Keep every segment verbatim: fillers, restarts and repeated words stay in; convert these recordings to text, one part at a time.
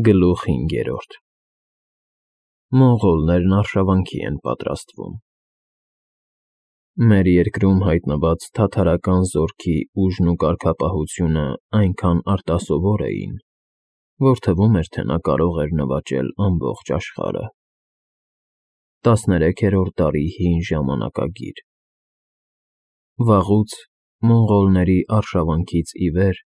Գլուխ հինգերորդ Մոնղոլներն արշավանքի են պատրաստվում։ Մեր երկրում հայտնված թաթարական զորքի ուժն ու կարգապահությունը այնքան արտասովոր էին, որ թվում էր, թե նա կարող էր նվաճել ամբողջ աշխարհը։ Տասներեքերորդ դարի հին ժամանակագիր Վաղուց, մոնղոլների արշավանքից ի վեր,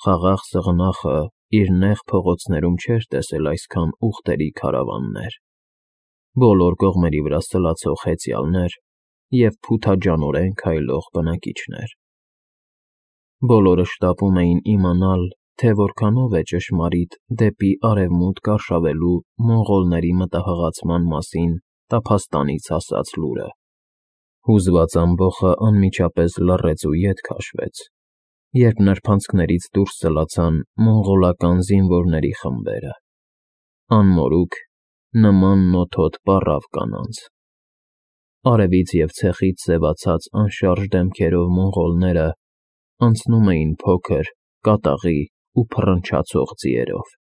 խաղաղ սղնախը իր նեղ փողոցներում չէր տեսել այսքան ուղտերի քարավաններ, բոլոր կողմերի վրա սլացող հեծյալներ և փութաջանորեն քայլող բնակիչներ։ Բոլորը շտապում էին իմանալ, թե որքանով է ճշմարիտ դեպի արևմուտք արշավելու մոնղոլների մտահղացման մասին տափաստանից հասած լուրը։ Հուզված ամբոխը անմիջապես լռեց ու ետ քաշվեց, երբ նրբանցքներից դուրս սլացան մոնղոլական զինվորների խմբերը, անմորուք, նման նոթոտ պառավ կանանց։ Արևից և ցեխից սևացած անշարժ դեմքերով մոնղոլները անցնում էին փոքր, կատաղի ու փռնչացող ձիերով,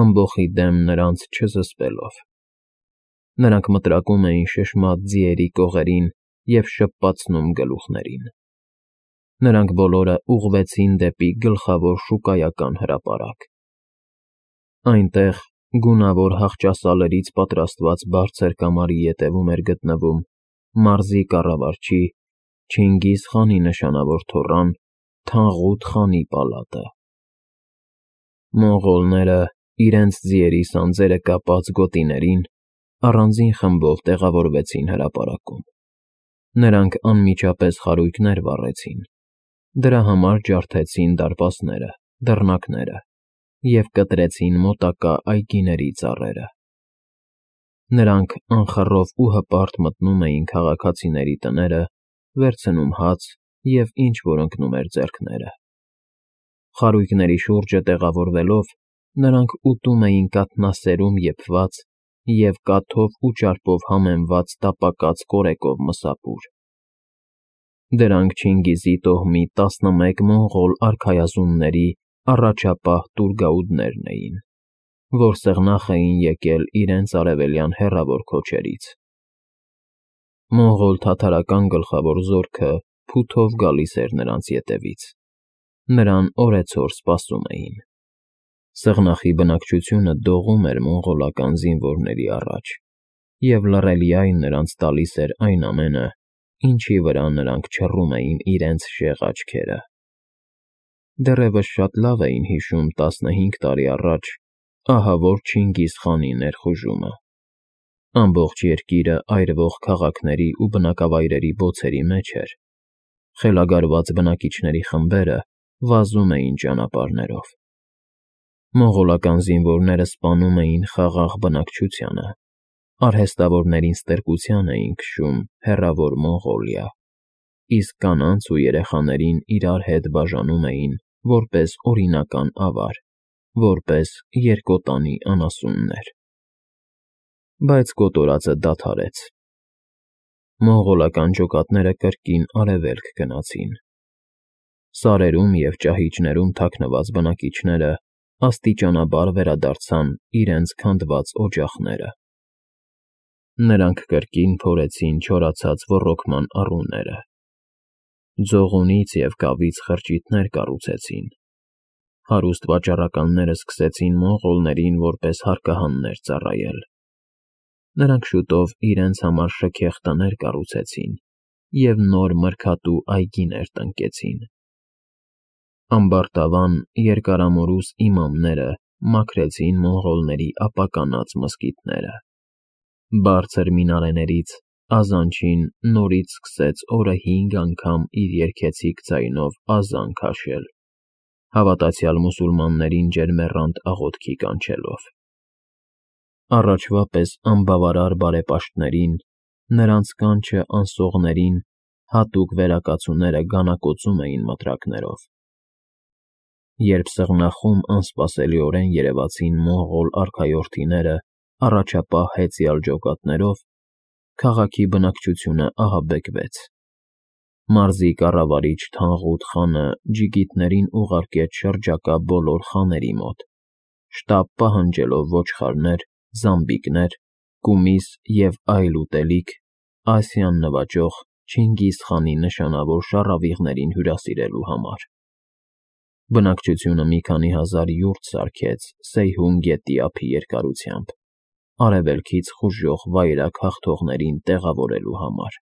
ամբոխի դեմ նրանց չզսպելով։ Նրանք մտրակում էին շշմած ձիերի կողերին և շպպացնում գլուխներին։ Նրանք բոլորը ուղղվեցին դեպի գլխավոր շուկայական հրապարակ։ Այնտեղ, գունավոր հախճասալերից պատրաստված բարձր կամարի ետևում էր գտնվում մարզի կառավարչի Չինգիզ խանի նշանավոր թոռան Թանղուտ խանի պալատը։ Մոնղոլները, իրենց ձիերի սանձերը կապած գոտիներին, առանձին խմբով տեղավորվեցին հրապարակում։ Նրանք անմիջապես խարույկներ վառեցին, դրա համար ջարդեցին դարպասները, դռնակները և կտրեցին մոտակա այգիների ծառերը։ Նրանք անխռով ու հպարտ մտնում էին քաղաքացիների տները, վերցնում հաց և ինչ֊որ ընկնում էր ձեռքները։ Խարույկների շուրջը տեղավորվելով, նրանք ուտում էին կաթնասերում եփված և կաթով ու ճարպով համեմված տապակած կորեկով մսապուր։ Դրանք Չինգիզի տոհմի տասնմեկ մոնղոլ արքայազունների առաջապահ տուր֊գաուդներն էին, որ սեղնախ էին եկել իրենց արևելյան հեռավոր քոչերից։ Մոնղոլ֊թաթարական գլխավոր զորքը փութով գալիս էր նրանց ետևից, նրան օրեցօր սպասում էին։ Սեղնախի բնակչությունը դողում էր մոնղոլական զինվորների առաջ, և լռելիայն նրանց տալիս էր այն ամենը, ինչի վրա նրանք չռում էին իրենց շեղ աչքերը։ Դեռևս շատ լավ էին հիշում տասնհինգ տարի առաջ ահավոր Չինգիզ խանի ներխուժումը։ Ամբողջ երկիրը այրվող քաղաքների ու բնակավայրերի բոցերի մեջ էր, խելագարված բնակիչների խմբերը վազում էին ճանապարհներով։ Մոնղոլական զինվորները սպանում էին խաղաղ բնակչությանը, արհեստավորներին ստրկության էին քշում հեռավոր Մոնղոլիա, իսկ կանանց ու երեխաներին իրար հետ բաժանում էին որպես օրինական ավար, որպես երկոտանի անասուններ։ Բայց կոտորածը դադարեց։ Մոնղոլական ջոկատները կրկին արևելք գնացին։ Սարերում և ճահիճներում թաքնված բնակիչները աստիճանաբար վերադարձան իրենց քանդված օջախները։ Նրանք կրկին փորեցին չորացած ոռոգման առուները։ Ձողունից և կավից խրճիթներ կառուցեցին։ Հարուստ վաճառականները սկսեցին մոնղոլներին որպես հարկահաններ ծառայել։ Նրանք շուտով իրենց համար շքեղ տներ կառուցեցին և նոր մրգատու այգիներ տնկեցին։ Ամբարտավան, երկարամորուս իմամները մաքրեցին մոնղոլների ապականած մզկիթները։ Բարձր մինարեներից ազանչին նորից սկսեց օրը հինգ անգամ իր երգեցիկ ձայնով ազան քաշել, հավատացյալ մուսուլմաններին ջերմեռանդ աղոթքի կանչելով։ Առաջվա պես անբավարար բարեպաշտներին, նրանց կանչը անսողներին հատուկ վերակացուները գանակոծում էին մտրակներով։ Երբ սղնախում անսպասելիորեն երևացին մոնղոլ արքայորդիները առաջապահ հեծյալ ջոկատներով, քաղաքի բնակչությունը ահաբեկվեց։ Մարզի կառավարիչ Թանղուտ խանը ջիգիտներին ուղարկեց շրջակա բոլոր խաների մոտ, շտապ պահանջելով ոչխարներ, զամբիկներ, կումիս և այլ ուտելիք Ասիան նվաճող Չինգիզ խանի նշանավոր շառավիղներին հյուրասիրելու համար։ Բնակչությունը մի քանի հազար յուրտ սարքեց Սեյհուն գետի ափի երկարությամբ՝ արևելքից խուժող վայրագ հաղթողներին տեղավորելու համար։